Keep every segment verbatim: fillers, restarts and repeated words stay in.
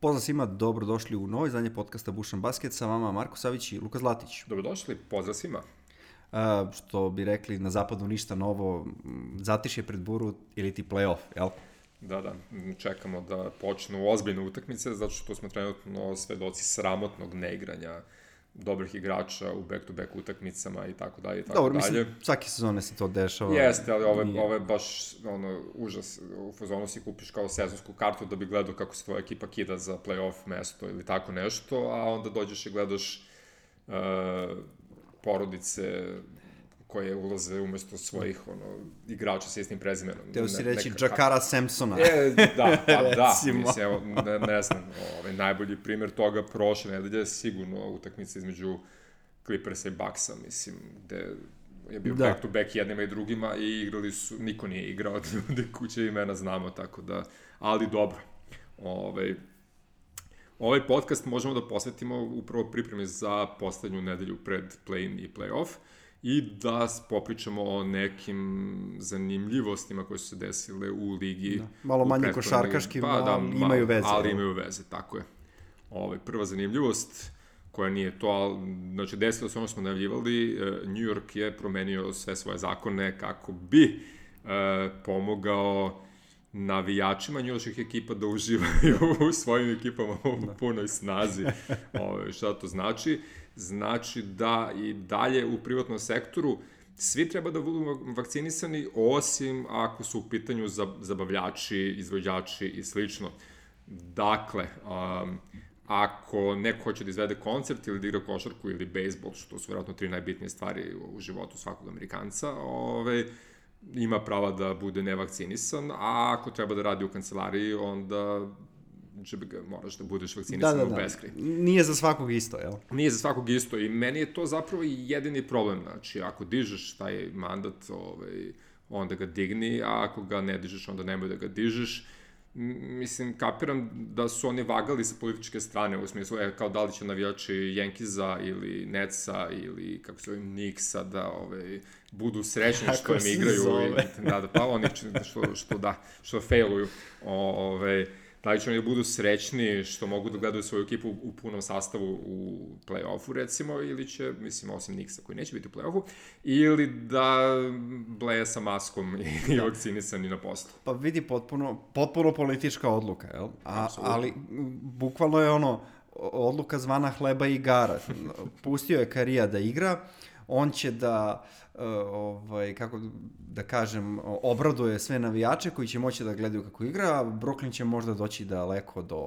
Pozdrav svima, dobrodošli u novoj izdanje podcasta Bušan Basket, sa vama Marko Savić i Luka Zlatić. Dobrodošli, pozdrav svima. Uh, što bi rekli na zapadu ništa novo, zatišje pred buru ili ti play-off, jel? Da, da, čekamo da počnu ozbiljne utakmice, zato što smo trenutno svedoci sramotnog neigranja dobrih igrača u back-to-back utakmicama i tako dalje i tako Dobro, dalje. mislim, svake sezone se to dešava. Jeste, ali ovo je, ovo je baš ono, užas. U fazonu si kupiš kao sezonsku kartu da bi gledao kako se tvoja ekipa kida za play-off mesto ili tako nešto, a onda dođeš i gledaš uh, porodice koje ulaze umesto svojih ono, igrača sa istim prezimenom. Teo si ne, reći Jakara Sampsona. E, da, pa da, mislim, evo, ne, ne znam, ovaj, najbolji primjer toga prošle nedelje sigurno utakmica između Clippersa i Bucksa, mislim, gde je bio da. back to back jednima i drugima i igrali su, niko nije igrao od ljudi kuće imena znamo, tako da, ali dobro. Ovaj, ovaj podcast možemo da posvetimo upravo pripremi za poslednju nedelju pred play-in i play-off, i da popričamo o nekim zanimljivostima koje su se desile u ligi. Da. Malo manje košarkaškim, pa, da, ali imaju veze. Ali imaju veze, tako je. Ove, prva zanimljivost, koja nije to, ali, znači desilo se ono što smo najavljivali, New York je promenio sve svoje zakone kako bi e, pomogao navijačima njuških ekipa da uživaju u svojim ekipama u da. punoj snazi. Ove, šta to znači? Znači da i dalje u privatnom sektoru svi treba da budu vakcinisani, osim ako su u pitanju zabavljači, izvođači i slično. Dakle, um, ako neko hoće da izvede koncert ili da igra košarku ili bejsbol, što su vjerojatno tri najbitnije stvari u životu svakog Amerikanca, ove, ima prava da bude nevakcinisan, a ako treba da radi u kancelariji, onda ga, moraš da budeš vakcinisan da, da, da. u beskraj. Nije za svakog isto, jel? Nije za svakog isto i meni je to zapravo jedini problem. Znači, ako dižeš taj mandat, ovaj, onda ga digni, a ako ga ne dižeš, onda nemoj da ga dižeš. Mislim, kapiram da su oni vagali sa političke strane, u smislu, e, kao da li će navijači Yankeesa ili Netsa ili, kako se ovim, Knicksa da ovaj, budu srećni što im igraju. I, da, da, pa oni što, što, da, što failuju. Ove, da li će oni da budu srećni što mogu da gledaju svoju ekipu u punom sastavu u play-offu, recimo, ili će, mislim, osim Knicksa koji neće biti u play-offu, ili da bleje sa maskom i da. vakcinisani na poslu. Pa vidi, potpuno, potpuno politička odluka, jel? A, ali, bukvalno je ono, odluka zvana hleba i igara. Pustio je Karija da igra, on će da, uh, ovaj, kako da kažem, obraduje sve navijače koji će moći da gledaju kako igra, Brooklyn će možda doći daleko do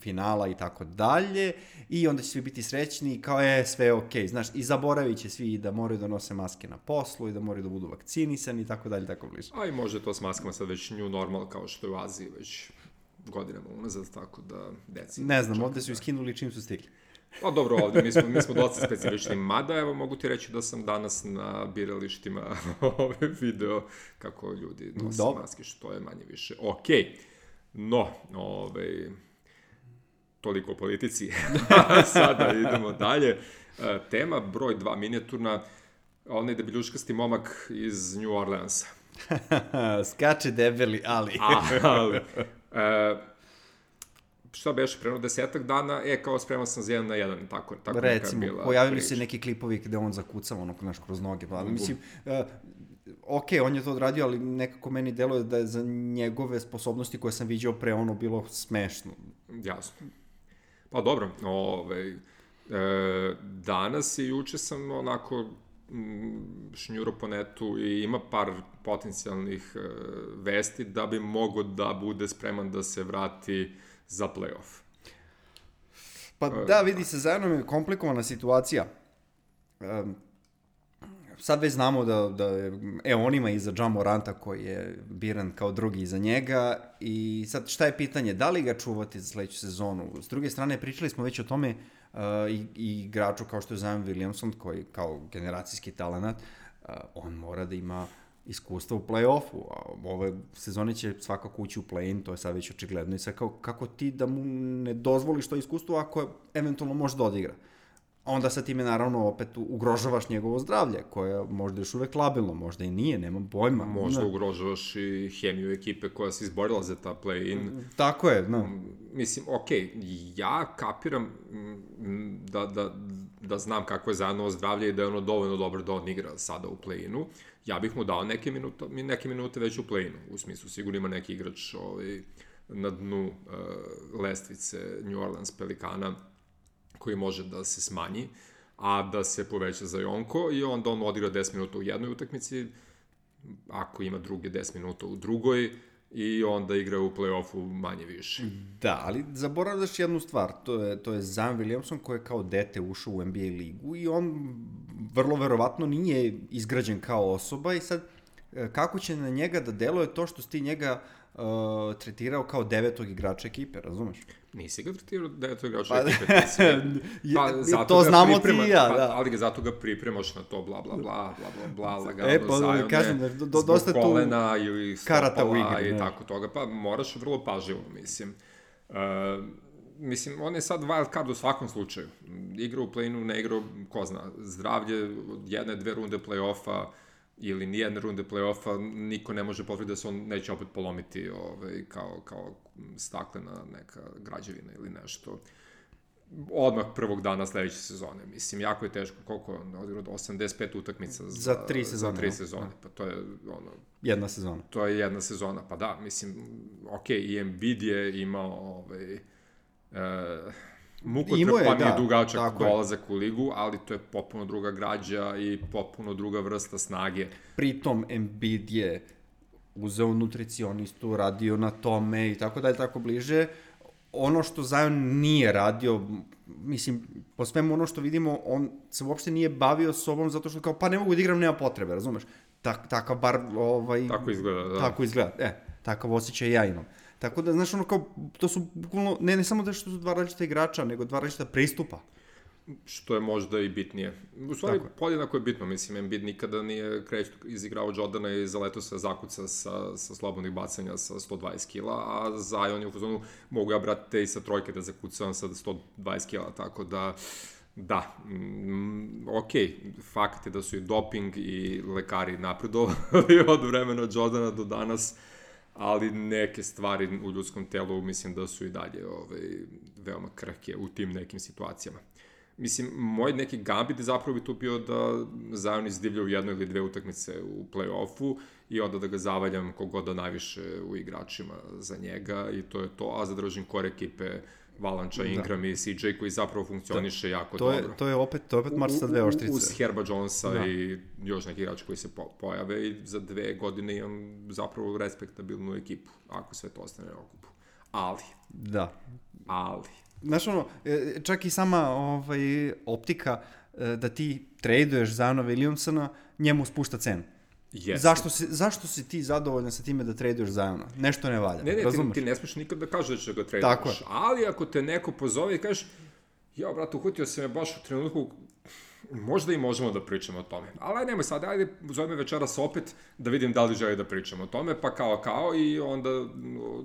finala i tako dalje, i onda će svi biti srećni kao je sve okej, znaš, i zaboravit će svi da moraju da nose maske na poslu i da moraju da budu vakcinisani i tako dalje, tako bliže. A i može to s maskama sad već new normal, kao što je u Aziji već godinama unazad, tako da deci... Ne znam, ovde su iskinuli čim su stigli. Pa dobro, ovdje mi smo, mi smo dosta specifični, mada evo mogu ti reći da sam danas na biralištima ove video kako ljudi nose Dobre. maske, što je manje više okej. Okay. No, ove, toliko o politici. Sada idemo dalje. Tema broj dva, minijaturna, onaj debiljuškasti momak iz New Orleansa. Skače debeli, ali... ali... E, šta beše, preno desetak dana, e, kao spreman sam za jedan na jedan, tako, tako recimo, neka bila pojavili priča. se neki klipovi gde on zakucava ono, naš, kroz noge, pa, mislim, uh, ok, on je to odradio, ali nekako meni deluje da je za njegove sposobnosti koje sam viđao pre ono bilo smešno. Jasno. Pa dobro, ovaj, e, danas i juče sam onako šnjuro po netu i ima par potencijalnih e, vesti da bi mogo da bude spreman da se vrati za play-off. Pa da, vidi se, zajedno je komplikovana situacija. Um, sad već znamo da, da je, e, on ima iza Ja Moranta koji je biran kao drugi iza njega, i sad šta je pitanje, da li ga čuvati za sledeću sezonu? S druge strane, pričali smo već o tome uh, i, i igraču kao što je Zion Williamson, koji kao generacijski talenat, uh, on mora da ima iskustva u play-offu, a ove sezone će svakako ući u play-in, to je sad već očigledno, i sad kao, kako ti da mu ne dozvoliš to iskustvo ako eventualno može da odigra. Onda sa time naravno opet ugrožavaš njegovo zdravlje, koje možda još uvek labilno, možda i nije, nemam pojma. Možda ne. ugrožavaš i hemiju ekipe koja se izborila za ta play-in. Tako je, no. mislim, okej, okay, ja kapiram da, da, da znam kako je Zajanovo zdravlje i da je ono dovoljno dobro da on igra sada u play-inu. Ja bih mu dao neke minute, neke minute već u play-inu, u smislu, sigurno ima neki igrač ovaj, na dnu uh, lestvice New Orleans Pelikana koji može da se smanji, a da se poveća za Jonko i onda on odigra deset minuta u jednoj utakmici, ako ima druge deset minuta u drugoj, i onda igra u play-offu manje više. Da, ali zaboravljaš jednu stvar, to je, to je Zion Williamson koji je kao dete ušao u N B A ligu i on vrlo verovatno nije izgrađen kao osoba i sad kako će na njega da deluje to što si ti njega uh, tretirao kao devetog igrača ekipe, razumeš? Nisi ga tretirao devetog igrača pa, ekipe, ti si pa, zato to znamo priprema, ti i ja, pa, da. Ali ga zato ga pripremaš na to, bla, bla, bla, bla, bla, bla, lagano, e, pa, Zajone, kažem, do, do, dosta zbog kolena ili stopala i ne. tako toga, pa moraš vrlo pažljivo, mislim. Uh, mislim, on je sad wild card u svakom slučaju. Igra u play-inu, ne igra, ko zna, zdravlje od jedne, dve runde play-offa, ili nijedne runde play-offa, niko ne može potvrditi da se on neće opet polomiti ovaj, kao, kao staklena neka građevina ili nešto. Odmah prvog dana sledeće sezone. Mislim, jako je teško, koliko je on odigrao, osamdeset pet utakmica za, za tri sezone. Za tri sezone, pa to je ono... Jedna sezona. To je jedna sezona, pa da, mislim, okej, okay, i Embiid je imao ovaj... Uh, mukotrpan i dugačak dolazak u ligu, ali to je potpuno druga građa i potpuno druga vrsta snage. Pritom Embiid je uzeo nutricionistu, radio na tome i tako dalje, tako bliže. Ono što Zion nije radio, mislim, po svemu ono što vidimo, on se uopšte nije bavio sobom zato što kao, pa ne mogu da igram, nema potrebe, razumeš? Tak, takav bar, ovaj... Tako izgleda, da. Tako izgleda, e, takav osjećaj ja imam. Tako da, znaš, ono kao, to su bukvalno, ne, ne samo da što su dva različita igrača, nego dva različita pristupa. Što je možda i bitnije. U stvari, podjednako je bitno, mislim, Embiid nikada nije kreću izigrao Jordana i zaletao se zakuca sa, sa slobodnih bacanja sa sto dvadeset kila, a Zion je u fazonu, mogu ja, brate, i sa trojke da zakucam sa sto dvadeset kila, tako da, da, mm, ok, fakt je da su i doping i lekari napredovali od vremena Jordana do danas, ali neke stvari u ljudskom telu mislim da su i dalje ovaj, veoma krhke u tim nekim situacijama. Mislim, moj neki gambit je zapravo bi tu bio da Zion izdivlja u jednoj ili dve utakmice u play-offu i onda da ga zavaljam kogoda najviše u igračima za njega i to je to, a zadržim kore ekipe Valanča, Ingram da. I C J koji zapravo funkcioniše da. jako to dobro. Je, to je opet, to je opet mač sa dve oštrice. Uz Herba Jonesa da. I još neki igrači koji se po, pojave i za dve godine imam zapravo respektabilnu ekipu, ako sve to ostane na okupu. Ali. Da. Ali. Znaš ono, čak i sama ovaj, optika da ti traduješ Ziona Williamsona, njemu spušta cenu. Yes. Zašto si, zašto si ti zadovoljan sa time da traduješ Ziona? Nešto ne valja, ne, ne, razumeš? Ti, ti ne smiješ nikad da kažeš da će ga traduješ. Ali ako te neko pozove i kažeš, ja, brate, uhvatio se me baš u trenutku, možda i možemo da pričamo o tome. Ali nemoj sad, ajde, zove me večeras opet da vidim da li želi da pričamo o tome, pa kao, kao, i onda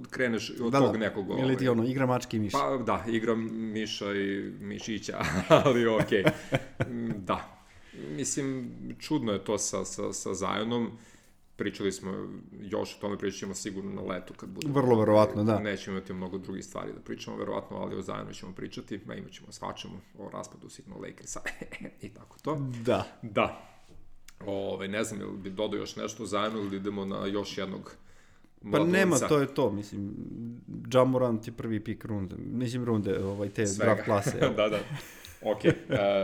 kreneš od da, tog da. nekog... Ili ti ono, igra mačke i miša. Pa da, igram miša i mišića, ali okej. Okay. Da. Mislim, čudno je to sa, sa, sa Zionom. Pričali smo još o tome, pričat ćemo sigurno na letu kad bude. Vrlo verovatno, da. Nećemo imati mnogo drugih stvari da pričamo, verovatno, ali o Zionu ćemo pričati, a imat ćemo svačemu o raspadu Signal Lakersa i tako to. Da. Da. Ove, ne znam, ili bi dodao još nešto o Zionu ili idemo na još jednog mladunca. Pa nema, to je to, mislim, Ja Morant je prvi pik runde, mislim runde, ovaj, te draft klase. da, da. Ok, uh,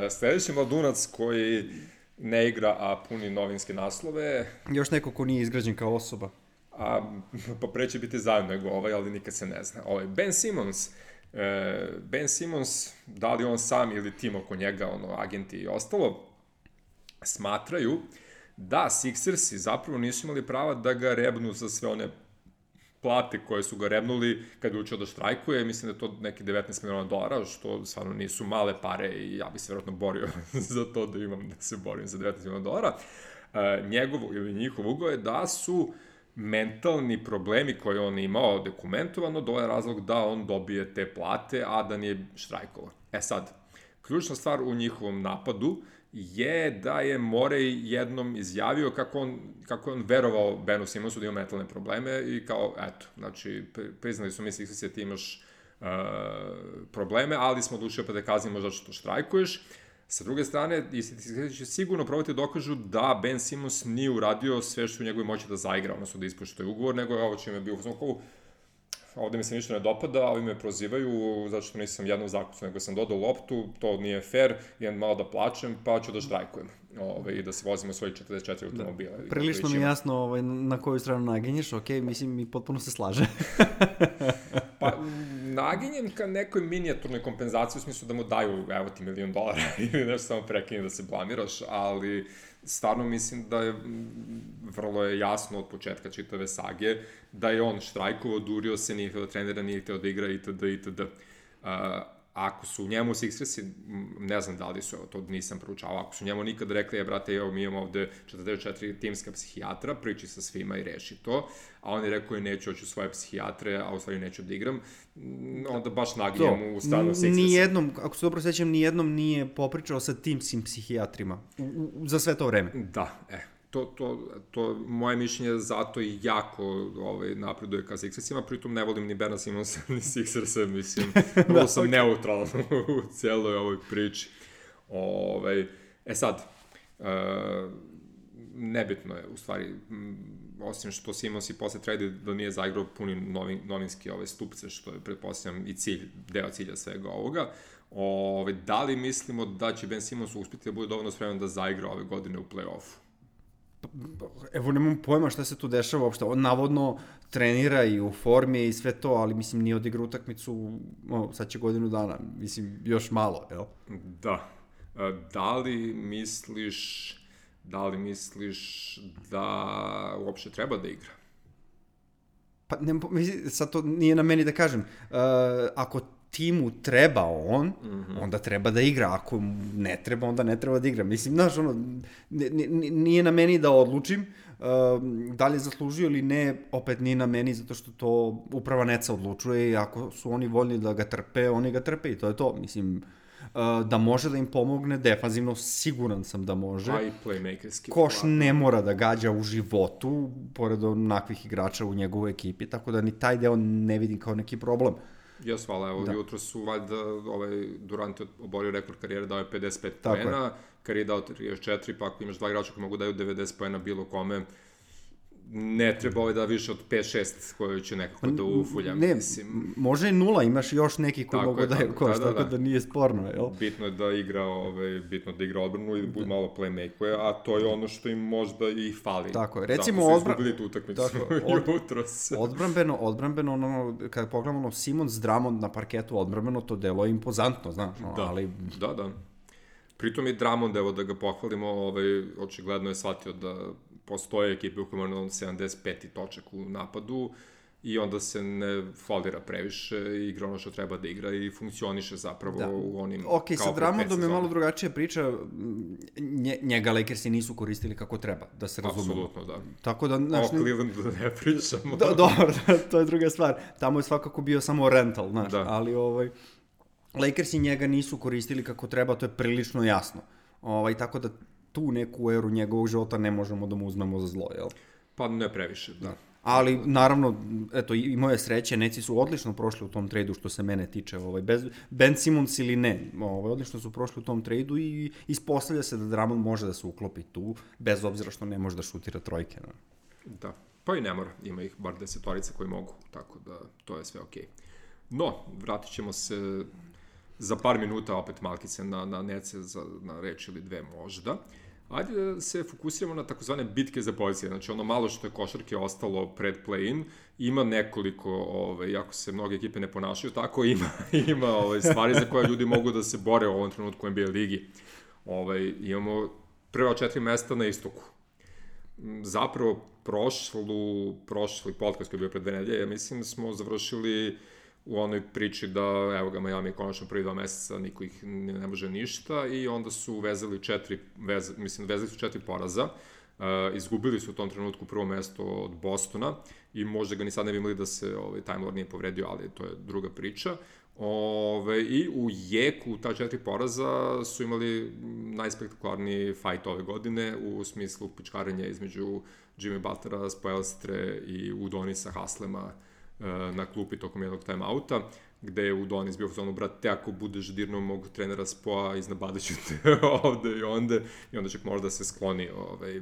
sledeći mladunac koji ne igra, a puni novinske naslove. Još neko ko nije izgrađen kao osoba. A, pa pre će biti Zion nego ovaj, ali nikad se ne zna. Ovaj, Ben Simmons, uh, Ben Simmons, da li on sam ili tim oko njega, ono, agenti i ostalo, smatraju da Sixersi zapravo nisu imali prava da ga rebnu za sve one plate koje su ga rebnuli kad je učio da štrajkuje, mislim da je to neki devetnaest miliona dolara, što stvarno nisu male pare i ja bi se vjerojatno borio za to da imam da se borim za devetnaest miliona dolara. E, njegov ili njihov ugo je da su mentalni problemi koje on imao dokumentovano dole razlog da on dobije te plate, a da nije štrajkovao. E sad, ključna stvar u njihovom napadu je da je Morey jednom izjavio kako on, kako je on verovao Benu Simmonsu da ima mentalne probleme i kao, eto, znači, priznali su mi Sixersi da ti imaš uh, probleme, ali smo odlučili pa da kaznimo zato što štrajkuješ. Sa druge strane, isti će sigurno probati dokažu da Ben Simmons nije uradio sve što u njegovoj moći da zaigra, odnosno da ispoštuje ugovor, nego je ovo čime je bio u ovde mi se ništa ne dopada, ovi me prozivaju zato što nisam jednom zakucu, nego sam dodao loptu, to nije fair, idem malo da plačem, pa ću da štrajkujem ove, i da se vozimo svoji četrdeset četiri automobila. Da, prilično mi je jasno ovaj, na koju stranu naginješ, ok, mislim mi potpuno se slaže. Pa naginjem ka nekoj minijaturnoj kompenzaciji u smislu da mu daju, evo ti milion dolara ili nešto samo prekini da se blamiraš, ali stvarno mislim da je vrlo je jasno od početka čitave sage da je on štrajkovao, durio se, nije htio da trenira, nije htio da igra itd. itd. Uh, ako su njemu Sixersi, ne znam da li su, evo, to nisam proučavao, ako su njemu nikad rekli, je, brate, evo, mi imamo ovde četrdeset četiri timska psihijatra, priči sa svima i reši to, a on je rekao, neću, hoću svoje psihijatre, a u stvari neću da igram, onda baš naginjem u stranu Sixersa. Nijednom, ako se dobro sećam, nijednom nije popričao sa timskim psihijatrima u, u, za sve to vreme. Da, e, to, to, to moje mišljenje zato i jako ovaj, napreduje ka Sixersima, pritom ne volim ni Bena Simonsa, ni Sixersa, mislim, vrlo da, sam okay. neutralan u cijeloj ovoj priči. Ovaj, e sad, uh, nebitno je, u stvari, osim što Simons i posle trade da nije zaigrao puni novin, novinski ove stupce, što je, pretpostavljam, i cilj, deo cilja svega ovoga. Ove, da li mislimo da će Ben Simmons uspjeti da bude dovoljno spreman da zaigra ove godine u play-offu? Evo, nemam pojma šta se tu dešava uopšte. On navodno trenira i u formi i sve to, ali mislim nije odigrao utakmicu, o, sad će godinu dana, mislim još malo, jel? Da. Da li misliš, da li misliš da uopšte treba da igra? Pa ne, mislim, sad to nije na meni da kažem. Uh, ako timu treba on, mm-hmm. onda treba da igra. Ako ne treba, onda ne treba da igra. Mislim, znaš, ono, nije na meni da odlučim uh, da li je zaslužio ili ne, opet nije na meni, zato što to uprava Netsa odlučuje i ako su oni voljni da ga trpe, oni ga trpe i to je to. Mislim, uh, da može da im pomogne defanzivno, siguran sam da može. A i playmakerski. Koš ne mora da gađa u životu, pored onakvih igrača u njegovoj ekipi, tako da ni taj deo ne vidim kao neki problem. Jes, hvala, evo, da. Jutro su valjda ovaj, Durant je oborio rekord karijere, dao je pedeset pet poena, Curry je dao trideset četiri, pa ako imaš dva igrača koji mogu daju devedeset poena bilo kome, ne treba ovaj da više od pet šest koji će nekako da ufulja. Ne, mislim. Može i nula, imaš još neki koji mogu da je koš, da, da, tako da, da nije sporno, jel? Bitno je da igra, ovaj, bitno da igra odbranu i da bude malo playmaker, a to je ono što im možda i fali. Tako je, recimo odbran... izgubili tu utakmicu od... jutros. Odbranbeno, odbranbeno, ono, kada pogledamo ono, Simons Drummond na parketu odbranbeno, to delo je impozantno, znaš, ono, da, ali... Da, da. Pritom i Drummond, evo da ga pohvalimo, ovaj, očigledno je shvatio da postoje ekipe u kojima on sedamdeset peti točak u napadu i onda se ne folira previše i igra ono što treba da igra i funkcioniše zapravo da. U onim ok, kao sa Drummondom je malo drugačija priča, Nje, njega Lakersi nisu koristili kako treba, da se razumemo. Apsolutno, da. Tako da, znaš, o Clevelandu da ne pričamo. Da, dobro, to je druga stvar. Tamo je svakako bio samo rental, znaš, da. Ali ovaj, Lakersi njega nisu koristili kako treba, to je prilično jasno. Ovaj, tako da tu neku eru njegovog života ne možemo da mu uzmemo za zlo, jel? Pa ne previše, da. Ali, naravno, eto, i moje sreće, Netsi su odlično prošli u tom trejdu što se mene tiče, ovaj, bez Ben Simmons ili ne, ovaj, odlično su prošli u tom trejdu i ispostavlja se da Drummond može da se uklopi tu, bez obzira što ne može da šutira trojke. Ne? Da, pa i ne mora, ima ih bar desetorica koji mogu, tako da to je sve okej. No, vratit ćemo se za par minuta opet malkice na, na Netse, za, na reč ili dve možda. Ajde da se fokusiramo na takozvane bitke za pozicije, znači ono malo što je košarke ostalo pred play-in, ima nekoliko, ovaj, ako se mnoge ekipe ne ponašaju tako, ima, ima ovaj, stvari za koje ljudi mogu da se bore u ovom trenutku u N B A ligi. Ovaj, imamo prva četiri mesta na istoku. Zapravo, prošlu, prošli podcast koji je bio pred dve nedelje, ja mislim smo završili u onoj priči da, evo ga, Miami je konačno prvi dva meseca, niko ih ne, ne može ništa i onda su vezali četiri, vez, mislim, vezali su četiri poraza, uh, izgubili su u tom trenutku prvo mesto od Bostona i možda ga ni sad ne bi imali da se ovaj, Time Lord nije povredio, ali to je druga priča. Ove, I u jeku ta četiri poraza su imali najspektakularniji fight ove godine u smislu pičkarenja između Jimmy Butlera, Spoelstre i Udonisa Haslema na klupi tokom jednog time-outa. gde je Udonis bio u zonu, brate, ako budeš dirnuo mog trenera Spoa, iznabadaću te ovde i onda, i onda čak možda se skloni. Ovaj.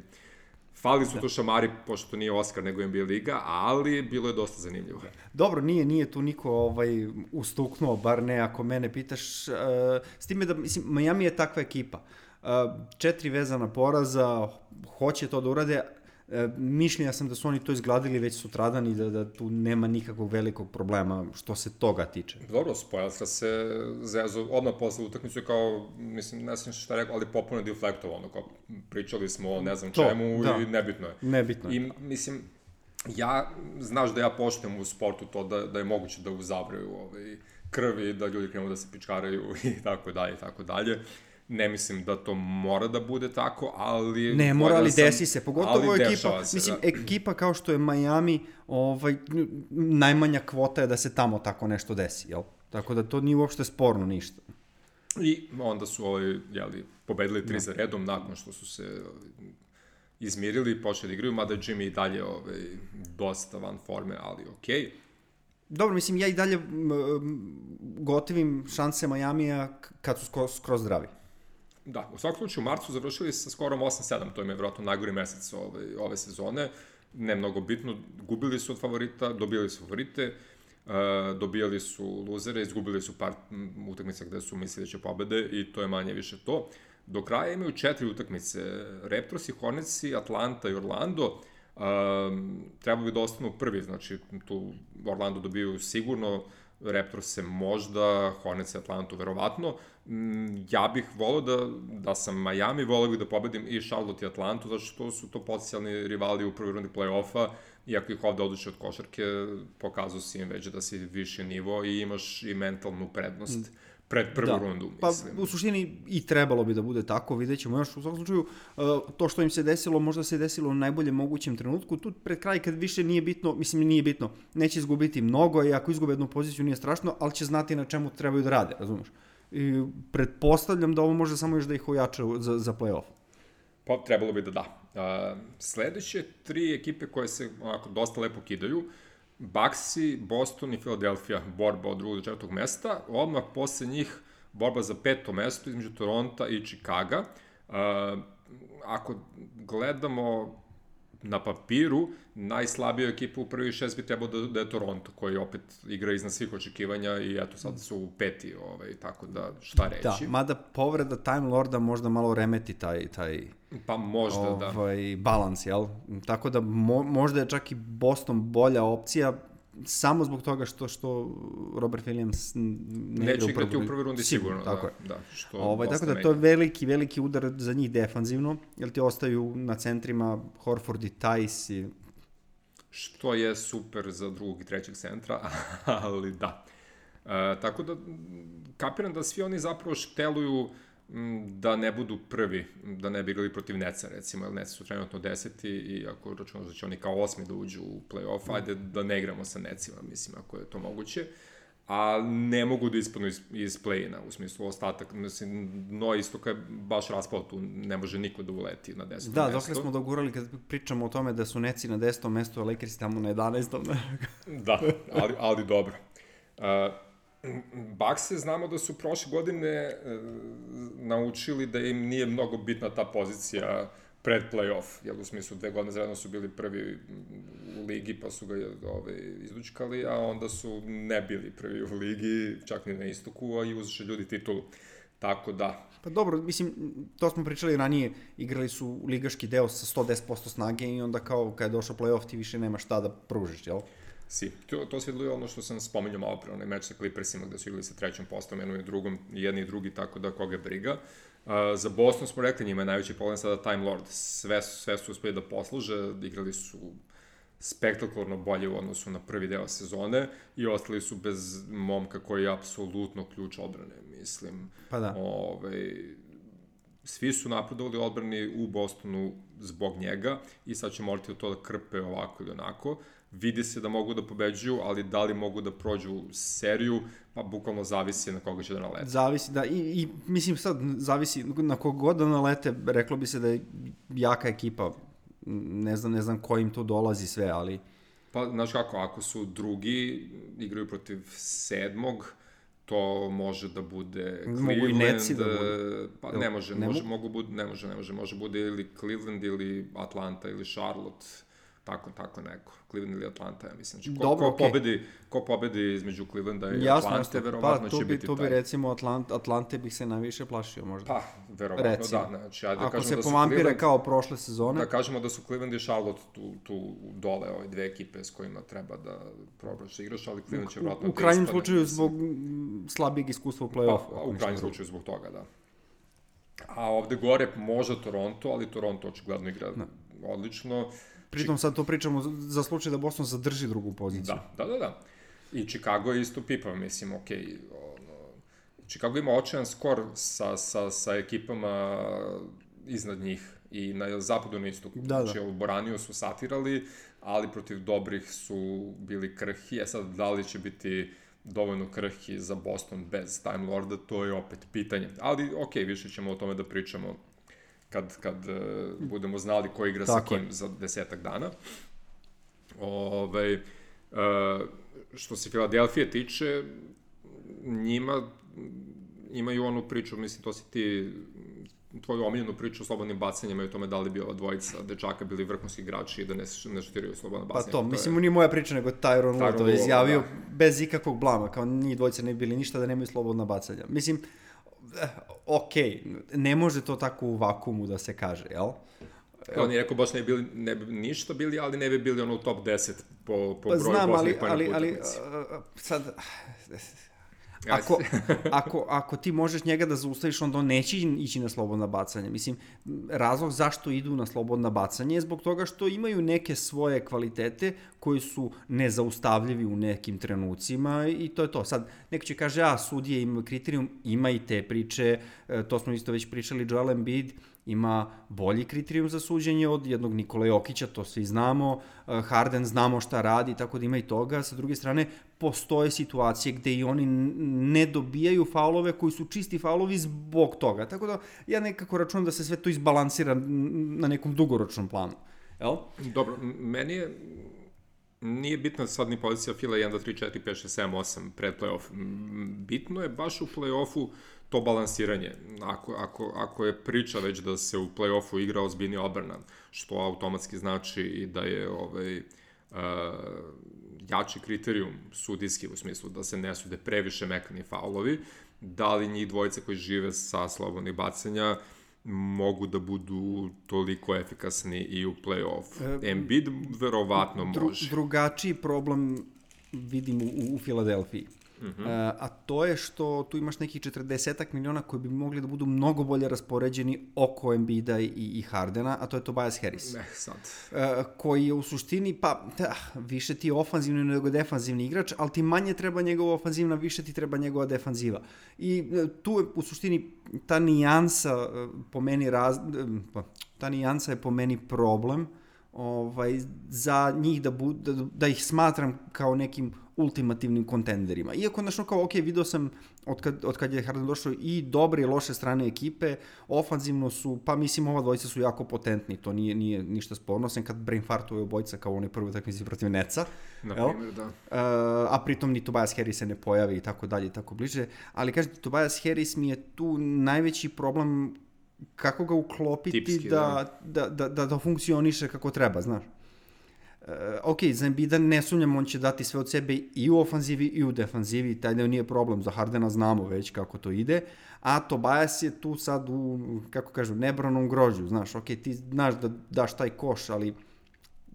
Fali su da. to šamari, pošto to nije Oskar, nego N B A liga, ali bilo je dosta zanimljivo. Dobro, nije, nije tu niko ovaj, ustuknuo, bar ne ako mene pitaš. Uh, s time da, mislim, Miami je takva ekipa. Uh, četiri vezana poraza, hoće to da urade. E, mišljenja sam da su oni to izgladili već sutradan i da, da tu nema nikakvog velikog problema što se toga tiče. Dobro, Spoelstra se zezo odmah posle utakmicu kao, mislim, ne znam šta rekao, ali popuno deflektovao, ono, kao pričali smo o ne znam to, čemu da. i nebitno je. Nebitno je. I, mislim, ja, znaš da ja poštujem u sportu to da, da je moguće da uzavraju ovaj, krvi, da ljudi krenu da se pičkaraju i tako dalje, i tako dalje. Ne mislim da to mora da bude tako, ali... Ne, mora, ali sam, desi se. Pogotovo ekipa, se, mislim, da. ekipa kao što je Miami, ovaj, najmanja kvota je da se tamo tako nešto desi, jel? Tako da to nije uopšte sporno ništa. I onda su ovaj, jeli, pobedili tri no. za redom nakon što su se izmirili i počeli da igraju, mada je Jimmy i dalje ovaj, dosta van forme, ali okej. Okay. Dobro, mislim, ja i dalje gotivim šanse Majamija kad su skroz, skroz zdravi. Da, u svakom slučaju u marcu završili sa skorom osam sedam, to im je vjerojatno najgori mesec ove, ove sezone, ne mnogo bitno, gubili su od favorita, dobili su favorite, uh, dobijali su luzere, izgubili su par utakmica gde su mislili da će pobede i to je manje više to. Do kraja imaju četiri utakmice, Raptorsi, Hornetsi, Atlanta i Orlando, um, treba bi da ostanu prvi, znači tu Orlando dobiju sigurno, Raptors se možda, Hornets i Atlantu verovatno. Ja bih volao da, da sam Miami, volao bih da pobedim i Charlotte i Atlantu, zato što su to potencijalni rivali u prvoj rundi play-offa, iako ih ovde odluče od košarke, pokazao si im već da si viši nivo i imaš i mentalnu prednost pred prvu da. rundu, mislim. Pa u suštini i trebalo bi da bude tako, vidjet ćemo još u svakom slučaju, to što im se desilo, možda se desilo u najboljem mogućem trenutku, tu pred kraj kad više nije bitno, mislim nije bitno, neće izgubiti mnogo i ako izgube jednu poziciju nije strašno, ali će znati na čemu trebaju da rade, razumiješ? I pretpostavljam da ovo može samo još da ih ojača za, za play-off. Pa trebalo bi da da. Uh, sledeće tri ekipe koje se onako dosta lepo kidaju, Bucksi, Boston i Philadelphia, borba od drugog do četvrtog mesta, odmah posle njih borba za peto mesto između Toronta i Chicaga. Uh, ako gledamo na papiru, najslabija ekipa u prvi šest bi trebao da, da je Toronto, koji opet igra iznad svih očekivanja i eto sad su peti, ovaj, tako da šta reći. Da, mada povreda Time Lorda možda malo remeti taj, taj pa možda, ovaj, da. balans, jel? Tako da mo, možda je čak i Boston bolja opcija, samo zbog toga što što Robert Williams ne neće igrati u prvoj rundi sigurno, sigurno tako da, da, što ovaj, tako da to je veliki veliki udar za njih defanzivno, jer ti ostaju na centrima Horford i Tice i što je super za drugog i trećeg centra, ali da. E, tako da kapiram da svi oni zapravo šteluju da ne budu prvi, da ne bi igrali protiv Neca, recimo, jer Neci su trenutno deseti i ako računamo da će oni kao osmi da uđu u play-off, ajde da ne igramo sa Necima, mislim, ako je to moguće, a ne mogu da ispadnu iz, iz play-ina, u smislu ostatak, mislim, no istoka je baš raspao tu, ne može niko da uleti na desetom da, mesto. Da, dokle smo dogurali kad pričamo o tome da su Neci na desetom mestu, a Lakers tamo na jedanaestom Da, ali, ali dobro. Uh, Bucks znamo da su prošle godine e, naučili da im nije mnogo bitna ta pozicija pred play-off, jer u smislu dve godine zaredno su bili prvi u ligi pa su ga ove, izlučkali, a onda su ne bili prvi u ligi, čak ni na istoku, a i uzše ljudi titulu. Tako da... Pa dobro, mislim, to smo pričali ranije, igrali su ligaški deo sa sto deset posto snage i onda kao kad je došao play-off ti više nema šta da pružiš, jel? Si. To, to svidilo je ono što sam spominjao malo pre, onaj meč sa Clippersima gde su igrali sa trećom postom, jednom i drugom, jedni i drugi, tako da koga briga. Uh, za Boston smo rekli, njima je najveći problem sada Time Lord. Sve, sve su uspeli da posluže, igrali su spektakularno bolje u odnosu na prvi deo sezone i ostali su bez momka koji je apsolutno ključ odbrane, mislim. Pa da. Ove, svi su napredovali odbrani u Bostonu zbog njega i sad će morati to da krpe ovako ili onako. Vidi se da mogu da pobeđuju, ali da li mogu da prođu seriju, pa bukvalno zavisi na koga će da nalete. Zavisi, da, i, i mislim sad, zavisi na kogod da nalete, reklo bi se da je jaka ekipa, ne znam, ne znam ko im tu dolazi sve, ali... Pa, znaš kako, ako su drugi, igraju protiv sedmog, to može da bude Mogu i Netsi Cleveland, da bude. pa ne može, Ne može, mogu? mogu bud, ne može, ne može, može bude ili Cleveland ili Atlanta ili Charlotte, tako, tako neko. Cleveland ili Atlanta, ja mislim. Znači, ko, Dobro, ko, okej. pobedi, ko pobedi između Clevelanda i Jasno, Atlante, jasno. verovatno Pa, će tu bi, biti tu bi taj. recimo Atlant, Atlante bih se najviše plašio možda. Pa, verovatno Recimo. da. Znači, ajde da Ako kažemo se da su povampire Cleveland, kao prošle sezone, da kažemo da su Cleveland i Charlotte tu, tu dole, ove dve ekipe s kojima treba da probaš da igraš, ali Cleveland će verovatno u da krajnjem ispadne. slučaju zbog mm, slabijeg iskustva u play-offu. Pa, ako u ništa krajnjem drugo. slučaju zbog toga, da. A ovde gore možda Toronto, ali Toronto očigledno igra odlično. Pritom sad to pričamo za- za slučaj da Boston zadrži drugu poziciju. Da, da, da, da. I Chicago je isto pipa, mislim, okej, okay, ono, Chicago ima očajan skor sa, sa, sa ekipama iznad njih i na zapadu na istoku. Da, da. Znači, u Boraniju su satirali, ali protiv dobrih su bili krhki. E sad, da li će biti dovoljno krhki za Boston bez Time Lorda, to je opet pitanje. Ali, okej, okay, više ćemo o tome da pričamo kad, kad uh, budemo znali ko igra Tako sa je. kim za desetak dana. Ove, uh, što se Filadelfije tiče, njima imaju onu priču, mislim, to si ti, tvoju omiljenu priču o slobodnim bacanjima i o tome da li bi ova dvojica dečaka bili vrhunski igrači i da ne, ne šutiraju slobodno Pa bacanje. to, mislim, nije moja priča, nego Tyronn Lue to je Lue, izjavio da. bez ikakvog blama, kao njih dvojica ne bi bili ništa da nemaju slobodna bacanja. Mislim, eh, okej, ne može to tako u vakumu da se kaže, jel? Kao on je rekao, baš ne bi, bili, ne bi ništa bili, ali ne bi bili ono u top deset po, po Pa broju znam, ali, poslednjih pojena ali, po ali utakmici. uh, sad, Ja, ako, ako, ako ti možeš njega da zaustaviš, onda on neće ići na slobodna bacanja. Mislim, razlog zašto idu na slobodna bacanja je zbog toga što imaju neke svoje kvalitete koji su nezaustavljivi u nekim trenucima i to je to. Sad, neko će kaže, a, sudije imaju kriterijum, ima i te priče, to smo isto već pričali, Joel Embiid ima bolji kriterijum za suđenje od jednog Nikola Jokića, to svi znamo, Harden znamo šta radi, tako da ima i toga. Sa druge strane, postoje situacije gde i oni ne dobijaju faulove koji su čisti faulovi zbog toga. Tako da ja nekako računam da se sve to izbalansira na nekom dugoročnom planu. Jel? Dobro, m- meni je, nije bitna sad ni pozicija Fila jedan, dva, tri, četiri, pet, šest, sedam, osam pred play-off. M, Bitno je baš u play-offu to balansiranje. Ako, ako, ako je priča već da se u play-offu igra ozbiljnija odbrana, što automatski znači i da je ovaj, uh, jači kriterijum sudijski u smislu da se ne sude previše mekani faulovi, da li njih dvojice koji žive sa slobodnih bacanja mogu da budu toliko efikasni i u play-off. E, Embiid verovatno Dru, može. drugačiji problem vidim u, u Filadelfiji. Uh-huh. E, a to je što tu imaš nekih četrdesetak miliona koji bi mogli da budu mnogo bolje raspoređeni oko Embida i, i Hardena, a to je Tobias Harris. Ne, sad. E, koji je u suštini, pa, da, više ti je ofanzivni nego defanzivni igrač, ali ti manje treba njegova ofanzivna, više ti treba njegova defanziva. I e, tu je u suštini ta nijansa e, po meni raz, e, pa, ta nijansa je po meni problem ovaj, za njih da, bu, da, da ih smatram kao nekim ultimativnim kontenderima. Iako, znaš, kao, ok, vidio sam od kad, od kad je Harden došao i dobre i loše strane ekipe, ofanzivno su, pa mislim, ova dvojica su jako potentni, to nije, nije ništa sporno, sem kad brainfartuje obojica kao onaj prvi utakmici protiv Netsa. Na primjer, da. Uh, a pritom ni Tobias Harris se ne pojavi i tako dalje i tako bliže. Ali, kažete, Tobias Harris mi je tu najveći problem kako ga uklopiti Tipski, da, da. Da, da, da funkcioniše kako treba, znaš. Uh, ok, za Embida ne sumnjam, on će dati sve od sebe i u ofanzivi i u defanzivi, taj da nije problem, za Hardena znamo već kako to ide, a Tobias je tu sad u, kako kažu, nebranom grožđu, znaš, ok, ti znaš da daš taj koš, ali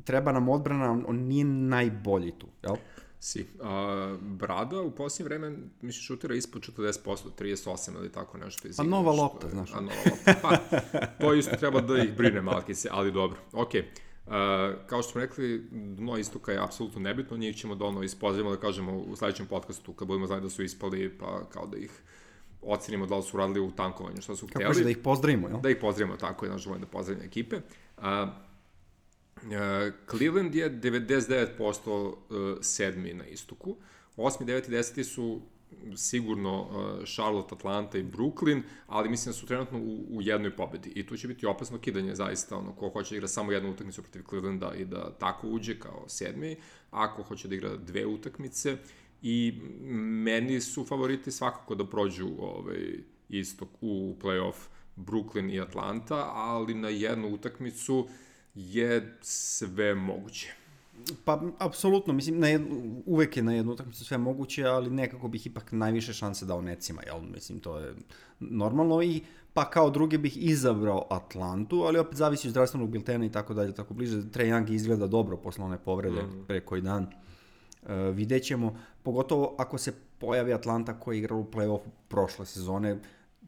treba nam odbrana, on nije najbolji tu, jel? Si. A, Brada u posljednje vreme, mislim, šutira ispod četrdeset posto, trideset osam ili tako nešto. Pa nova lopta, znaš. A nova lopta, pa, to isto treba da ih brine Malkice, ali dobro, okej. Okay. Uh, kao što smo rekli, dno istoka je apsolutno nebitno, njih ćemo dono ispozdravimo da kažemo u sledećem podcastu, kad budemo znali da su ispali, pa kao da ih ocenimo da li su radili u tankovanju, što su kako htjeli. Kako da ih pozdravimo, jel? Da ih pozdravimo, tako je, naš volim da pozdravimo ekipe. Uh, uh, Cleveland je devedeset devet posto uh, sedmi na istoku, osmi, deveti, deseti su sigurno uh, Charlotte, Atlanta i Brooklyn, ali mislim da su trenutno u, u jednoj pobedi i tu će biti opasno kidanje zaista, ono, ko hoće da igra samo jednu utakmicu protiv Clevelanda i da tako uđe kao sedmi, a ko hoće da igra dve utakmice i meni su favoriti svakako da prođu ovaj, istok u play-off Brooklyn i Atlanta, ali na jednu utakmicu je sve moguće. Pa, apsolutno, mislim, na jednu, uvek je na jednu utakmicu sve moguće, ali nekako bih ipak najviše šanse dao Netsima, jel? Mislim, to je normalno i pa kao druge bih izabrao Atlantu, ali opet zavisi od zdravstvenog biltena i tako dalje, tako bliže. Trae Young izgleda dobro posle one povrede mm. pre koji dan. Uh, vidjet ćemo, pogotovo ako se pojavi Atlanta koja je igrala u play-offu prošle sezone,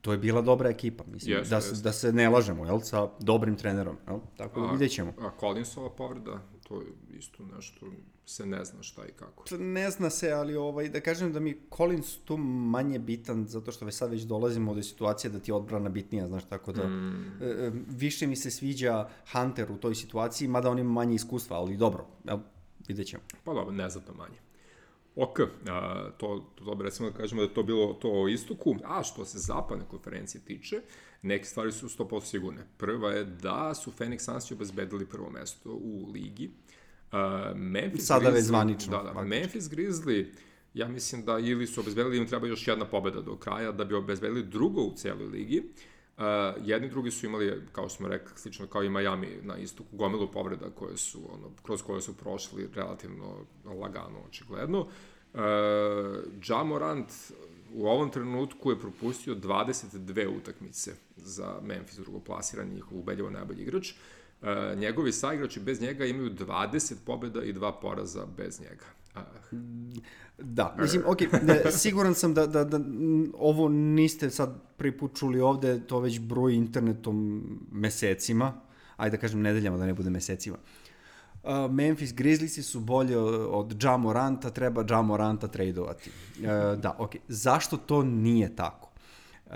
to je bila dobra ekipa, mislim, yes, da, yes. da se ne lažemo, jel, sa dobrim trenerom, jel, tako da vidjet ćemo. A Collinsova povreda, to je isto nešto, se ne zna šta i kako. Ne zna se, ali ovaj, da kažem da mi Collins tu manje bitan, zato što već sad već dolazimo do situacije da ti je odbrana bitnija, znaš, tako da mm. e, više mi se sviđa Hunter u toj situaciji, mada on ima manje iskustva, ali dobro, jel, vidjet ćemo. Pa dobro, ne znam to manje. Ok, a, to, to recimo da kažemo da je to bilo to o istoku, a što se zapadne konferencije tiče, neke stvari su sto posto sigurne. Prva je da su Phoenix Sunsi obezbedili prvo mesto u ligi. A, Memphis Sada Grizzly, već zvanično. Da, da, Memphis Grizzly, ja mislim da ili su obezbedili, im treba još jedna pobeda do kraja da bi obezbedili drugo u cijeloj ligi. Uh, jedni drugi su imali, kao smo rekli, slično kao i Miami na istoku, gomilu povreda koje su, ono, kroz koje su prošli relativno lagano, očigledno. Uh, Ja Morant u ovom trenutku je propustio dvadeset dve utakmice za Memphis, drugoplasirani, njihov ubedljivo najbolji igrač. Uh, njegovi saigrači bez njega imaju dvadeset pobjeda i dva poraza bez njega. Uh. Da, mislim, ok, ne, siguran sam da, da, da ovo niste sad prvi put čuli ovde, to već broji internetom mesecima, ajde da kažem nedeljama, da ne bude mesecima. Uh, Memphis Grizzliesi su bolji od Ja Moranta, treba Ja Moranta tradovati. Uh, da, ok, zašto to nije tako? Uh,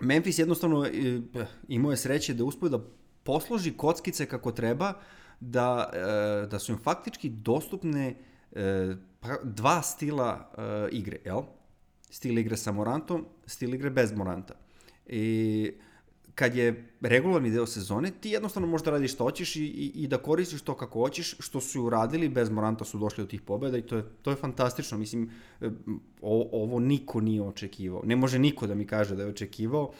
Memphis jednostavno uh, imao je sreće da uspio da posloži kockice kako treba, da, uh, da su im faktički dostupne uh, dva stila uh, igre, jel? Stil igre sa Morantom, stil igre bez Moranta. I kad je regularni deo sezone, ti jednostavno možeš da radiš što hoćeš i, i, i da koristiš to kako hoćeš, što su uradili, bez Moranta su došli do tih pobjeda i to je, to je fantastično. Mislim, o, ovo niko nije očekivao. Ne može niko da mi kaže da je očekivao.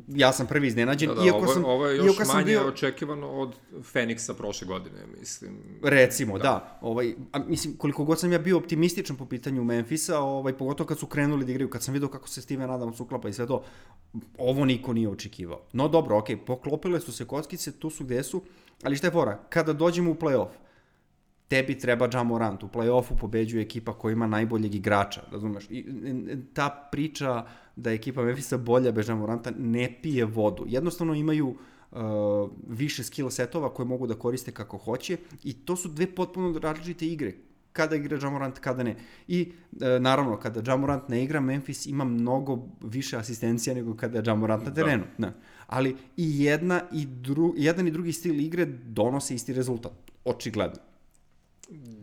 Ja sam prvi iznenađen. Da, da, iako ovo, sam, ovo je još manje bio... očekivano od Feniksa prošle godine, mislim. Recimo, da. da ovaj, a, mislim, koliko god sam ja bio optimističan po pitanju Memphisa, ovaj, pogotovo kad su krenuli da igraju, kad sam vidio kako se Steven Adams uklapa i sve to, ovo niko nije očekivao. No dobro, okej, okay, poklopile su se kockice, tu su gde su, ali šta je fora? Kada dođemo u play-off, tebi treba Ja Morant, u play-offu pobeđuje ekipa koja ima najboljeg igrača, razumeš? I ta priča da je ekipa Memphisa bolja bez Ja Moranta ne pije vodu. Jednostavno imaju uh, više skill setova koje mogu da koriste kako hoće i to su dve potpuno različite igre. Kada igra Ja Morant, kada ne. I e, naravno, kada Ja Morant ne igra, Memphis ima mnogo više asistencija nego kada je Ja Morant na terenu. Da. Ali i jedna i dru, jedan i drugi stil igre donose isti rezultat. Očigledno.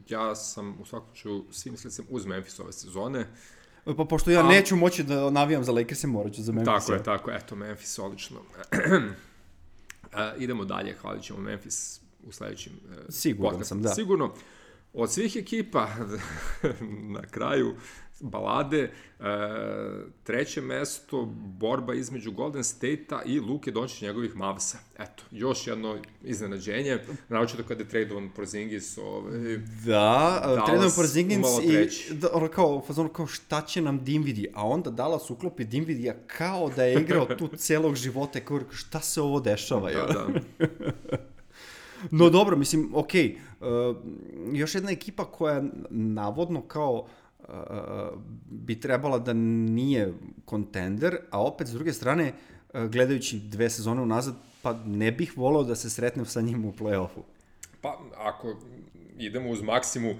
Ja sam u svakom slučaju svim slicem uz Memphis ove sezone. Pa pošto ja A... neću moći da navijam za Lakers, morat ću za Memphis. Tako je, tako je. Eto, Memphis, odlično. A, idemo dalje, hvalit ćemo Memphis u sledećim Siguran podcastom. sam, da. Sigurno. Od svih ekipa, na kraju balade, e, treće mesto, borba između Golden State-a i Luke Dončića njegovih Mavsa. Eto, još jedno iznenađenje, naročito kada je tradovan Porzingis. Ovaj, da, tradovan Porzingis i da, kao, kao šta će nam Dinwiddie, a onda Dallas uklopi Dinwiddie kao da je igrao tu celog života, kao šta se ovo dešava? Da, da. No dobro, mislim, okej, okay. uh, još jedna ekipa koja navodno kao uh, bi trebala da nije kontender, a opet s druge strane, uh, gledajući dve sezone unazad, pa ne bih volao da se sretnem sa njim u play-offu. Pa, ako idemo uz maksimu,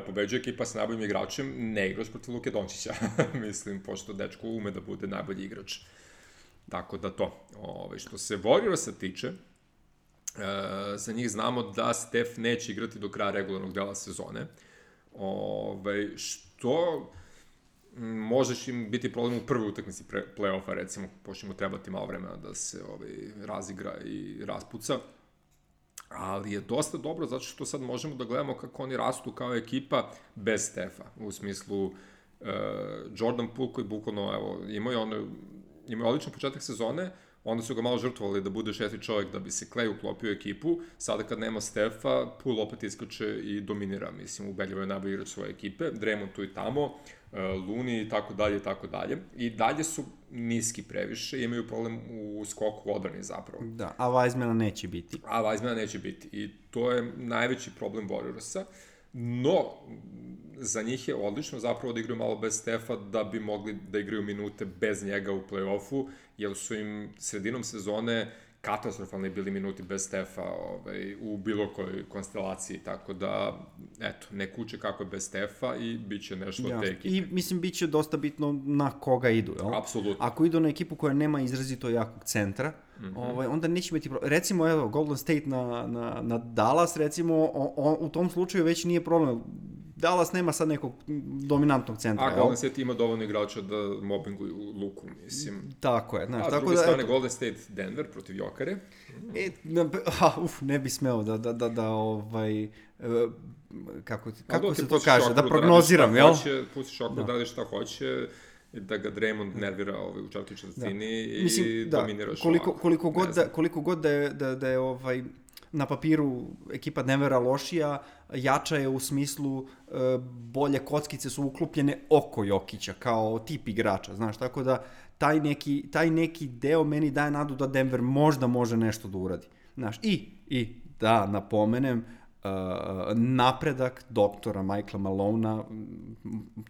pobeđuje ekipa sa najboljim igračem, ne igraš protiv Luke Dončića, mislim, pošto dečko ume da bude najbolji igrač. Tako da to, ove, što se Warriorsa tiče, Uh, za njih znamo da Steph neće igrati do kraja regularnog dela sezone. Ove, što možeš im biti problem u prvoj utakmici play-offa, recimo, pošto mu trebati malo vremena da se ovaj, razigra i raspuca. ali je dosta dobro zato što sad možemo da gledamo kako oni rastu kao ekipa bez Stefa, u smislu uh, Jordan Poole koji bukvalno, evo, imao je ono, imao je odličan početak sezone, onda su ga malo žrtvovali da bude šesti čovjek da bi se Klay uklopio u ekipu, sada kad nema Stefa, Poole opet iskače i dominira, mislim, ubedljivo je najbolji igrač svoje ekipe, Draymond tu i tamo, uh, Looney i tako dalje i tako dalje, i dalje su niski previše, imaju problem u skoku odbrani zapravo. Da, a Wisemana neće biti. A Wisemana neće biti i to je najveći problem Warriorsa, no za njih je odlično zapravo da igraju malo bez Stefa da bi mogli da igraju minute bez njega u play-offu, jer su im sredinom sezone katastrofalni bili minuti bez Stefa ovaj, u bilo kojoj konstelaciji, tako da, eto, ne kuće kako je bez Stefa i bit će nešto ja. od te ekipe. I, mislim, bit će dosta bitno na koga idu, jel? Apsolutno. Ako idu na ekipu koja nema izrazito jakog centra, mm-hmm. ovaj, onda neće biti problem. Recimo, evo, Golden State na, na, na Dallas, recimo, o, o, u tom slučaju već nije problem. Dallas nema sad nekog dominantnog centra. A Golden State ima dovoljno igrača da mobinguju Luku, mislim. Tako je. Znaš, a, tako druge da, strane, eto, Golden State Denver protiv Jokare. E, na, a, uf, ne bi smeo da, da, da, da ovaj, kako, kako se to kaže, da prognoziram, jel? Pustiš Šokru da radi šta hoće, da ga Draymond nervira ovaj, u četvrtoj četvrtini i mislim, da, dominiraš koliko, ovako. Koliko god, da, koliko god da je, da, da je ovaj, na papiru ekipa Denvera lošija, jača je u smislu e, bolje kockice su uklopljene oko Jokića, kao tip igrača, znaš, tako da taj neki, taj neki deo meni daje nadu da Denver možda može nešto da uradi, znaš, i, i da napomenem, Uh, napredak doktora Michaela Malona,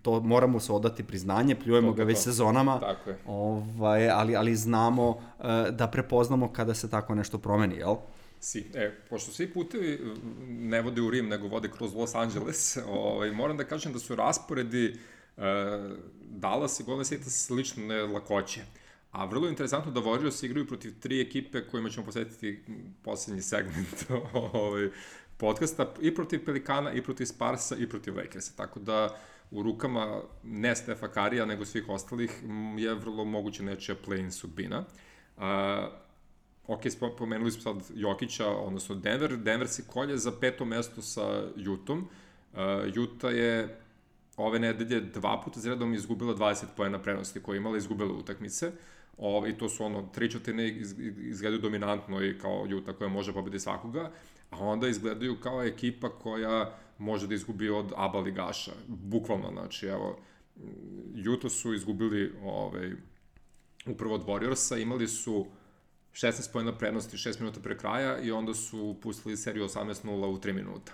to moramo se odati priznanje, pljujemo to, ga već to. sezonama, ovaj, ali, ali znamo uh, da prepoznamo kada se tako nešto promeni, jel? Si, e, pošto svi putevi ne vode u Rim, nego vode kroz Los Angeles, ovaj, moram da kažem da su rasporedi uh, Dallas i Golden State slične lakoće. A vrlo je interesantno da Warriors igraju protiv tri ekipe kojima ćemo posvetiti poslednji segment ovaj, podcasta, i protiv Pelikana, i protiv Sparsa, i protiv Lakersa. Tako da u rukama ne Stefa Karija, nego svih ostalih je vrlo moguće nečija play-in sudbina. Uh, ok, pomenuli smo sad Jokića, odnosno Denver. Denver se kolje za peto mesto sa Utahom. Uh, Utah je ove nedelje dva puta za redom izgubila dvadeset poena prednosti koje je imala, izgubila utakmice. Ove, I to su ono, tri četvrtine iz, izgledaju dominantno i kao Utah koja može pobediti svakoga, a onda izgledaju kao ekipa koja može da izgubi od aba ligaša. Bukvalno, znači, evo, Utah su izgubili ovaj, upravo od Warriorsa, imali su šesnaest poena prednosti, šest minuta pre kraja i onda su pustili seriju osamnaest nula u tri minuta.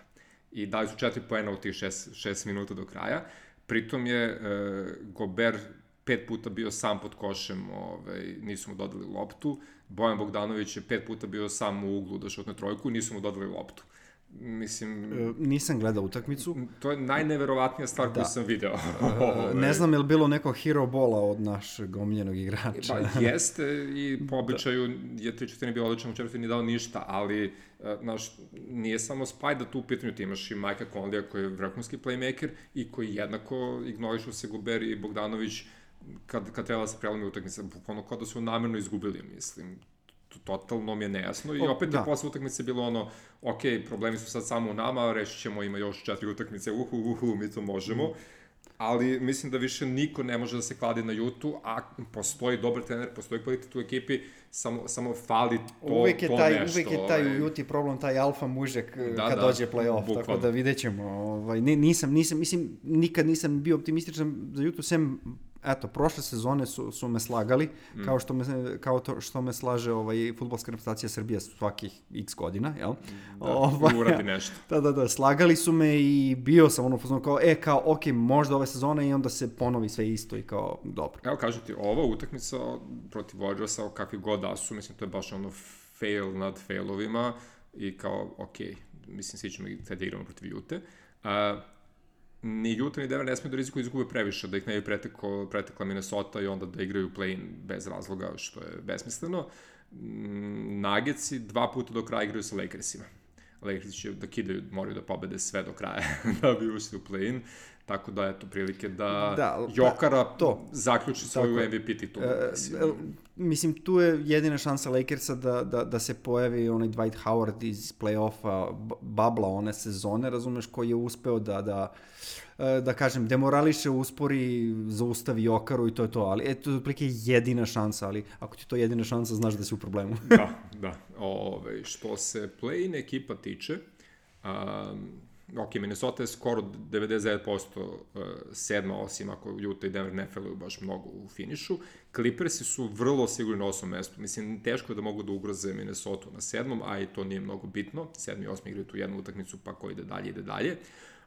I dali su četiri poena u tih šest minuta do kraja. Pritom je e, Gobert pet puta bio sam pod košem, ovaj, nisu mu dodali loptu. Bojan Bogdanović je pet puta bio sam u uglu da šutne trojku, nisu mu dodali loptu. Mislim... E, nisam gledao utakmicu. To je najneverovatnija stvar da. koju sam video. E, ne znam je li bilo neko hero bola od našeg omiljenog igrača. Pa jeste i po običaju da. je tri četvrtine bio odličan, u četvrtini dao ništa, ali znaš, nije samo Spajda tu u pitanju, ti imaš i Majka Conleya koji je vrhunski playmaker i koji jednako ignorišu se Gobert i Bogdanović kad, kad treba da se prelomi utakmica, bukvalno kao da su namjerno izgubili, mislim. Totalno mi je nejasno i opet da. je posle utakmice bilo ono, ok, problemi su sad samo u nama, rešit ćemo, ima još četiri utakmice, uhu, uhu, mi to možemo, mm. ali mislim da više niko ne može da se kladi na Utah, a postoji dobar trener, postoji kvalitet u ekipi, samo, samo fali to, uvek je to taj, nešto. Uvek je taj ovaj. u Utah problem, taj alfa mužek da, kad da, dođe play-off, bukvalno. Tako da vidjet ćemo. Ovaj, nisam, nisam, mislim, nikad nisam bio optimističan za Utah, sem eto, prošle sezone su, su me slagali, mm. kao, što me, kao to što me slaže ovaj, fudbalska reprezentacija Srbije svakih x godina, jel? Da, ovaj, uradi nešto. Da, da, da, slagali su me i bio sam ono fuzon kao, e, kao, ok, možda ove sezone i onda se ponovi sve isto i kao, dobro. Evo, kažu ti, ova utakmica protiv Warriorsa, kakvi god da su, mislim, to je baš ono fail nad failovima i kao, ok, mislim, svi ćemo i da igramo protiv Utah. Uh, ni Utah ni Denver ne smiju da rizikuju izgube previše, da ih ne bi pretekla, pretekla Minnesota i onda da igraju play-in bez razloga, što je besmisleno. Nuggetsi dva puta do kraja igraju sa Lakersima. Lakersi će da kidaju, moraju da pobede sve do kraja da bi ušli u play-in. tako da eto prilike da, da Jokara to. zaključi svoju tako. M V P titulu. E, mislim, tu je jedina šansa Lakersa da, da, da se pojavi onaj Dwight Howard iz play-offa babla one sezone, razumeš, koji je uspeo da, da, da kažem, demorališe, uspori, zaustavi Jokaru i to je to, ali eto, otprilike jedina šansa, ali ako ti to jedina šansa, znaš da si u problemu. da, da. Ove, što se play-in ekipa tiče, um, ok, Minnesota je skoro devedeset devet posto sedma, osim ako Utah i Denver ne feluju baš mnogo u finišu. Clippersi su vrlo sigurni na osmom mestu. Mislim, teško je da mogu da ugroze Minnesota na sedmom, a i to nije mnogo bitno. Sedmi i osmi igraju tu jednu utakmicu, pa ko ide dalje, ide dalje.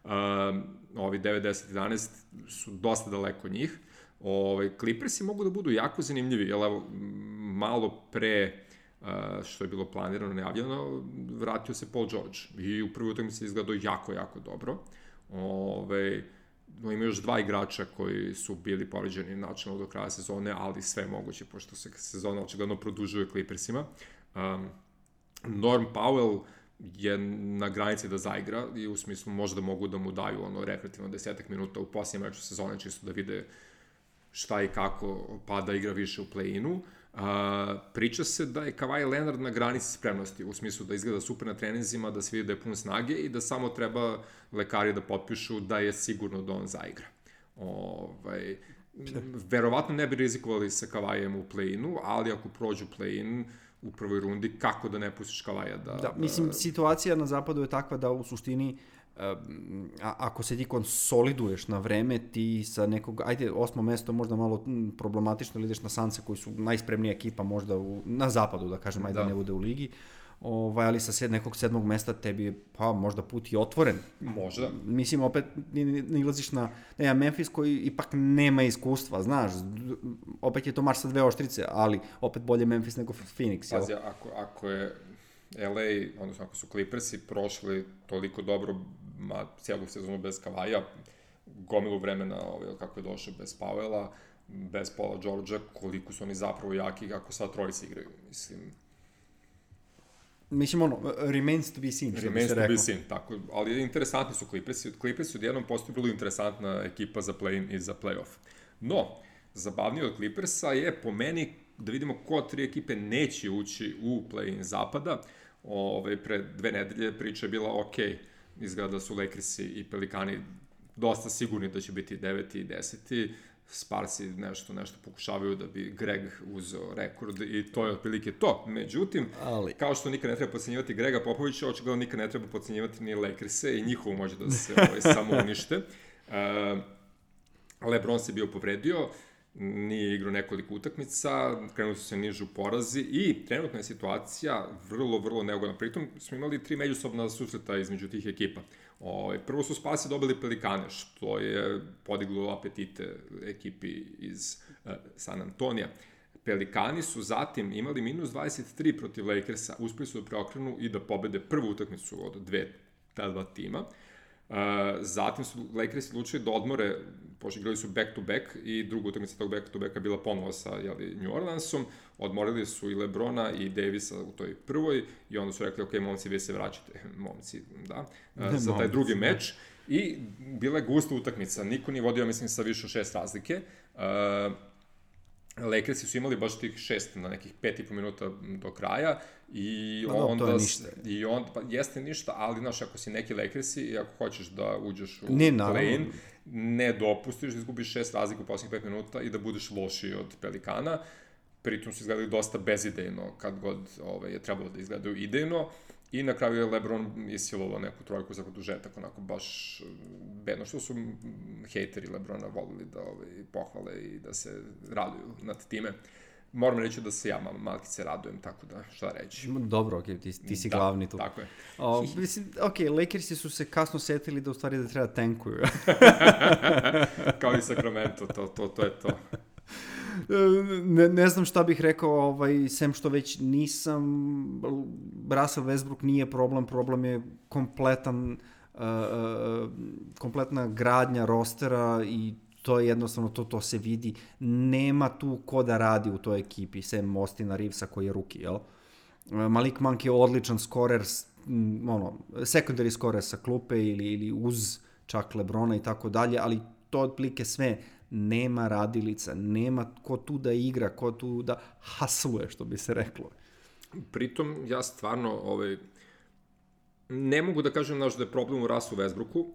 Um, ovi devet deset jedanaest su dosta daleko njih. Ove, Clippersi mogu da budu jako zanimljivi, jer evo, malo pre Uh, što je bilo planirano, najavljeno, vratio se Paul George i u prvoj utakmici izgledao jako, jako dobro. Ove, no, ima još dva igrača koji su bili povređeni načinno do kraja sezone, ali sve moguće, pošto se sezona očigledno produžuje Clippersima. Um, Norm Powell je na granici da zaigra i u smislu možda mogu da mu daju ono rekreativno desetak minuta u posljednjem meču sezone, čisto da vide šta i kako pa da igra više u play-inu. Uh, priča se da je Kawhi Leonard na granici spremnosti, u smislu da izgleda super na treninzima, da se vidi da je pun snage i da samo treba lekari da potpišu da je sigurno da on zaigra. Ovaj, verovatno ne bi rizikovali sa Kawhijem u play-inu, ali ako prođu play-in u prvoj rundi, kako da ne pustiš Kawhija da... Da, mislim, da... situacija na zapadu je takva da u suštini A, ako se ti konsoliduješ na vreme, ti sa nekog, ajde, osmo mesto možda malo problematično, ili ideš na Sanse koji su najspremnija ekipa možda u, na zapadu, da kažem, ajde da ne bude u ligi, ovaj, ali sa sed, nekog sedmog mesta tebi je, pa, možda put i otvoren. Možda. Mislim, opet nilaziš na, ne, Memphis koji ipak nema iskustva, znaš, opet je to marš sa dve oštrice, ali opet bolje Memphis nego Phoenix. Pazi, jel? ako, ako je L A, odnosno ako su Clippersi prošli toliko dobro, ma cijelu sezonu bez Kawhija, gomilu vremena, ovaj, kako je došao bez Powella, bez Paula Georgea, koliko su oni zapravo jaki kako sad trojice igraju, mislim. Mislim, ono, remains to be seen, što bi se rekao. Remains to be seen, tako, ali interesantni su Clippersi, Clippersi odjednom postaju bilo interesantna ekipa za play-in i za play-off. No, zabavnije od Clippersa je po meni da vidimo ko tri ekipe neće ući u play-in zapada. Ove, pre dve nedelje priča je bila ok, izgleda da su Lakersi i Pelikani dosta sigurni da će biti deveti i deseti, Sparsi nešto, nešto pokušavaju da bi Greg uzeo rekord i to je otprilike to. Međutim, ali... kao što nikad ne treba podcenjivati Grega Popovića, očigledno nikad ne treba podcenjivati ni Lakerse i njihovo može da se ovaj, samo unište. Uh, LeBron se bio povredio, nije igrao nekoliko utakmica, krenuli su se nižu porazi i trenutna je situacija vrlo, vrlo neugodna. Pritom smo imali tri međusobna susreta između tih ekipa. O, prvo su Sparsi dobili Pelikane, što je podiglo apetite ekipi iz uh, San Antonija. Pelikani su zatim imali minus dvadeset tri protiv Lakersa, uspeli su da preokrenu i da pobede prvu utakmicu od dve, ta dva tima. Uh, zatim su Lakersi odlučili da odmore, pošto igrali su back to back i druga utakmica tog back to backa bila ponovo sa jeli, New Orleansom, odmorili su i LeBrona i Davisa u toj prvoj i onda su rekli, ok, momci, vi se vraćate, momci, da, uh, za taj drugi meč i bila je gusta utakmica, niko nije vodio, mislim, sa više od šest razlike. Uh, Lakersi su imali baš tih šest na nekih pet i po minuta do kraja i no, onda... To je ništa. I onda, pa jeste ništa, ali znaš, ako si neki Lakersi i ako hoćeš da uđeš u ne, play-in, ne dopustiš da izgubiš šest razlika u posljednjih pet minuta i da budeš lošiji od Pelikana. Pritom su izgledali dosta bezidejno kad god ovaj, je trebalo da izgledaju idejno. I na kraju je LeBron isilovao neku trojku za produžetak, onako baš bedno, što su hejteri LeBrona volili da ovaj, pohvale i da se raduju nad time. Moram reći da se ja malkice radujem, tako da šta reći. Dobro, ok, ti, ti si da, glavni tu. Tako je. O, mislim, ok, Lakersi su se kasno setili da u stvari da treba tankuju. Kao i Sacramento, to, to, to je to. Ne, ne znam šta bih rekao, ovaj, sem što već nisam, Russell Westbrook nije problem, problem je kompletan, uh, uh, kompletna gradnja rostera i to je jednostavno, to, to se vidi, nema tu ko da radi u toj ekipi, sem Austina Reevesa koji je rookie, jel? Malik Monk je odličan skorer, ono, secondary skorer sa klupe ili, ili uz čak LeBrona i tako dalje, ali to otplike sve, nema radilica, nema ko tu da igra, ko tu da hasluje, što bi se reklo. Pritom, ja stvarno, ovaj, ne mogu da kažem naš da je problem u Russu Westbrooku,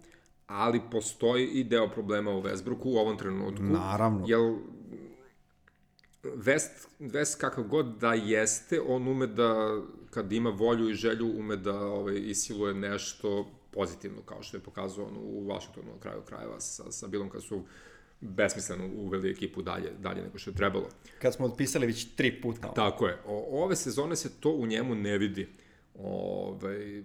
ali postoji i deo problema u Westbrooku u ovom trenutku. Naravno. Jer West, West kakav god da jeste, on ume da, kad ima volju i želju, ume da ovaj, isiluje nešto pozitivno, kao što je pokazao on u Washingtonu na kraju krajeva sa, sa Bilom, kad su besmisleno uveli ekipu dalje, dalje nego što je trebalo. Kad smo otpisali već tri puta. Tako je. O, ove sezone se to u njemu ne vidi. Ove,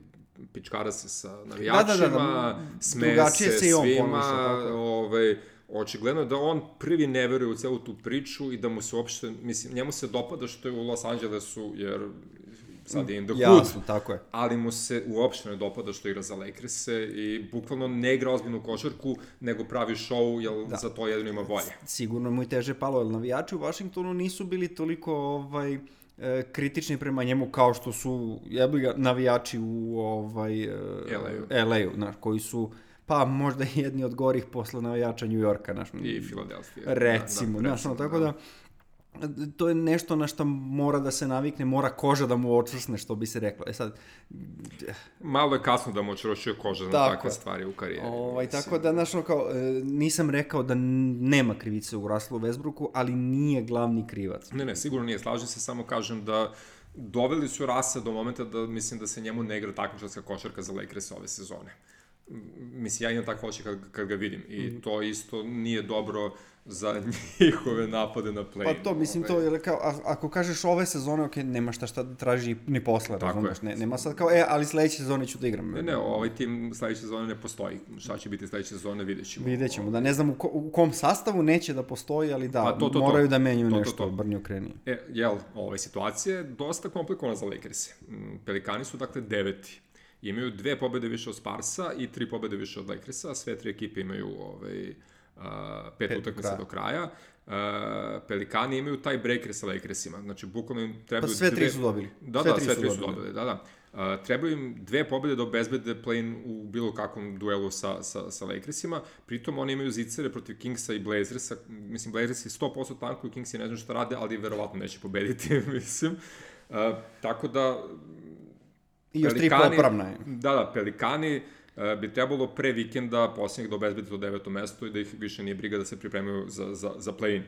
pičkara se sa navijačima, da, da, da, da. Smeje se, se svima, ove, očigledno je da on prvi ne veruje u celu tu priču i da mu se uopšte, mislim, njemu se dopada što je u Los Angelesu, jer sad je in the hood, jasno, tako je. Ali mu se uopšte ne dopada što igra za Lakers-e i bukvalno ne igra ozbiljnu košarku, nego pravi show, jer da. Za to jedino ima volje. Sigurno mu i teže palo, jer navijači u Washingtonu nisu bili toliko ovaj, kritični prema njemu kao što su jebiga navijači u ovaj, L A-u, znaš, koji su pa možda jedni od gorih posle navijača New Yorka, znaš. I Filadelfije. Recimo, da, da, znaš, tako da, to je nešto na što mora da se navikne, mora koža da mu očvrsne, što bi se reklo. E sad... Malo je kasno da mu očvršuje koža na takve stvari u karijeri. Ovaj, tako da, znaš, kao, nisam rekao da nema krivice u Russellu Westbrooku, ali nije glavni krivac. Ne, ne, sigurno nije. Slažem se, samo kažem da doveli su Russa do momenta da mislim da se njemu ne igra takmičarska košarka za Lakers ove sezone. Mislim, ja imam tako oči kad, kad ga vidim i mm. to isto nije dobro za njihove napade na play. Pa to, mislim, to je kao, a, ako kažeš ove sezone, ok, nema šta šta da traži ni posle, razumeš, ne, nema sad kao, e, ali sledeće sezone ću da igram. Ne, ne, ovaj tim sledeće sezone ne postoji. Šta će biti sledeće sezone, vidjet ćemo. Vidjet ćemo, da, ne znam u, ko, u kom sastavu neće da postoji, ali da, pa to, to, moraju to. da menjaju to, nešto, brnju kreni. E, jel, ova situacija je dosta komplikovana za Lakers. Pelikani su, dakle, deveti. Imaju dve pobede više od Sparsa i tri pobede više od Lakersa. Sve tri ekipe imaju ovaj, uh, pet, pet utakmica do kraja. Uh, Pelikani imaju taj breaker sa Lakersima. Znači, bukvalno im trebaju... Pa sve tri dve... su dobili. Da, sve da, tri sve tri su dobili. dobili. Da, da. Uh, trebaju im dve pobede da obezbede play-in u bilo kakvom duelu sa, sa, sa Lakersima. Pritom oni imaju zicere protiv Kingsa i Blazersa. Mislim, Blazersi sto posto tankuju, Kingsi ne znam šta rade, ali verovatno neće pobediti, mislim. Uh, tako da... I još tri popravna je. Da, da, Pelikani uh, bi trebalo pre vikenda posljednjeg da obezbedi to deveto mesto i da ih više nije briga da se pripremaju za, za, za play-in.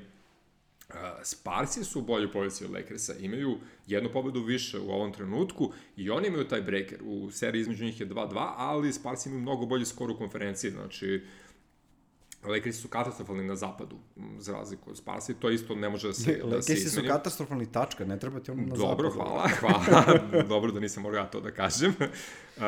Uh, Sparsi su u boljoj poziciji od Lakersa, imaju jednu pobedu više u ovom trenutku i oni imaju taj breaker. U seriji između njih je dva dva, ali Sparsi imaju mnogo bolji skor u konferenciji, znači Lakersi su katastrofalni na zapadu, za razliku od Sparsi, to isto ne može da se, da se izmeni. Lakersi su katastrofalni, tačka, ne treba ti ono na Dobro, zapadu. hvala, hvala, dobro da nisam morao to da kažem. Uh,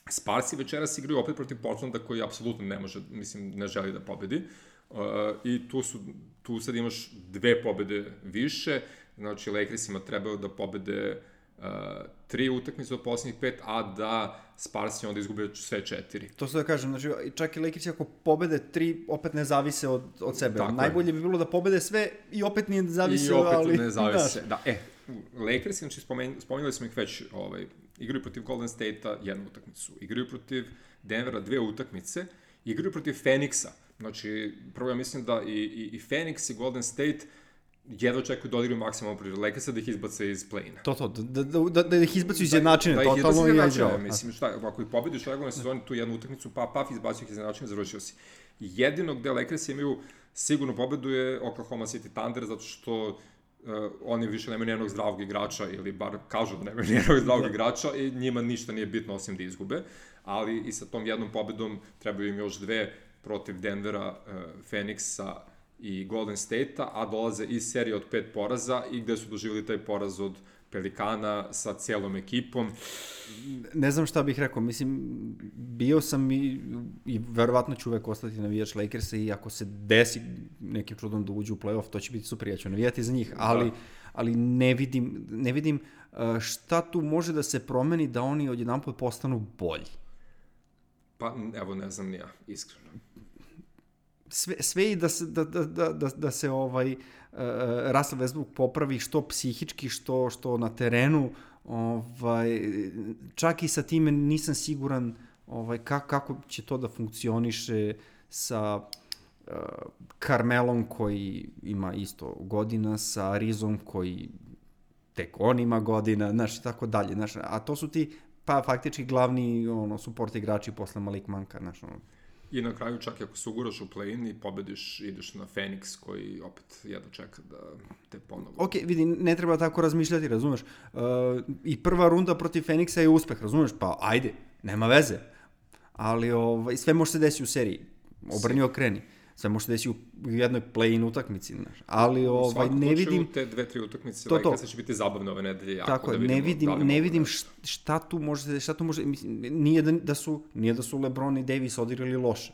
Sparsi večeras igraju opet protiv Portlanda koji apsolutno ne može, mislim, ne želi da pobedi. Uh, I tu, su, tu sad imaš dve pobede više, znači Lakersima trebaju da pobede Uh, tri utakmice od posljednjih pet, a da Sparsi onda izgube sve četiri. To se da kažem, znači čak i Lakersi ako pobede tri, opet ne zavise od, od sebe. Tako Najbolje je. bi bilo da pobede sve i opet ne zavise, I opet ali... ne zavise, da. E, Lakersi, znači spomen, spomenuli smo ih već, ovaj, igraju protiv Golden State-a jednu utakmicu, igraju protiv Denvera dve utakmice, igraju protiv Phoenixa. Znači, prvo ja mislim da i, i, i Phoenix i Golden State jedva očekuju da odigraju maksimalno protiv Lakersa da ih izbace iz play-ina. To, to, da, da, da, da ih izbacu iz jednačine, da, da totalno i jednačine. Mislim, šta, ako ih pobediš u regularnoj sezoni tu jednu utakmicu, pa paf, izbacio ih iz jednačine, završio si. Jedino gde Lakersi imaju sigurno pobedu je Oklahoma City Thunder, zato što uh, oni više nemaju nijednog zdravog igrača, ili bar kažu da nemaju nijednog zdravog da. igrača i njima ništa nije bitno osim da izgube, ali i sa tom jednom pobedom trebaju im još dve protiv Denvera, uh, Phoenixa i Golden State-a, a dolaze iz serije od pet poraza i gde su doživjeli taj poraz od Pelikana sa cijelom ekipom. Ne znam šta bih rekao, mislim, bio sam i, i verovatno ću uvek ostati navijač Lakersa i ako se desi nekim čudom da uđu u play-off, to će biti super, ja ću navijati za njih, ali, da. ali ne vidim, ne vidim šta tu može da se promeni da oni odjedanput postanu bolji. Pa, evo, ne znam ni ja, iskreno. Sve, sve i da se, da, da, da, da se ovaj, uh, Russell Westbrook popravi što psihički, što, što na terenu, ovaj, čak i sa time nisam siguran ovaj, kako, kako će to da funkcioniše sa uh, Carmelom koji ima isto godina, sa Rizom koji tek on ima godina, znaš, i tako dalje, znaš, a to su ti, pa faktički glavni, ono, support igrači posle Malik Monka, znaš, ono. I na kraju čak i ako se uguraš u play-in i pobediš, ideš na Phoenix koji opet jedno čeka da te ponovo... Ok, vidi, ne treba tako razmišljati, razumeš, uh, i prva runda protiv Phoenixa je uspeh, razumeš, pa ajde, nema veze, ali ovaj, sve može se desiti u seriji, obrni okreni. Sve može se desiti u jednoj play-in utakmici, znaš. Ali ovaj, ne vidim... U te dve, tri utakmice, to, to. Lakers će biti zabavne ove nedelje jako. Tako da je, ne vidim, da ne vidim šta tu može, šta tu može, mislim, nije da, da su, nije da su LeBron i Davis odigrali loše.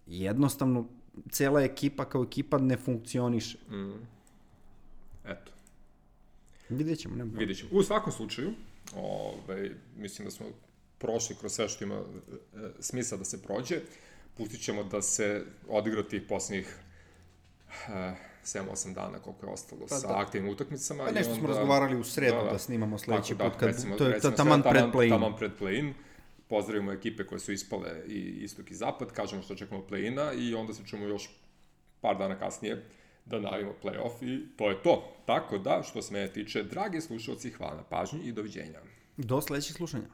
Jednostavno, cela ekipa kao ekipa ne funkcioniše. Mm. Eto. Vidjet ćemo, nema. Vidjet ćemo. U svakom slučaju, ovaj, mislim da smo prošli kroz sve što ima e, smisla da se prođe. Pustit ćemo da se odigra tih posljednjih uh, sedam osam dana koliko je ostalo pa, sa da. aktivnim utakmicama. Pa nešto i onda, smo razgovarali u sredu da, da. da snimamo sledeći put, kad recimo, to je recimo, taman pred play-in. Taman pred play-in. Pozdravimo ekipe koje su ispale i istok i zapad, kažemo što čekamo play-ina i onda se čujemo još par dana kasnije da najavimo play-off i to je to. Tako da, što se mene tiče, dragi slušalci, hvala na pažnji i doviđenja. Do sledećih slušanja.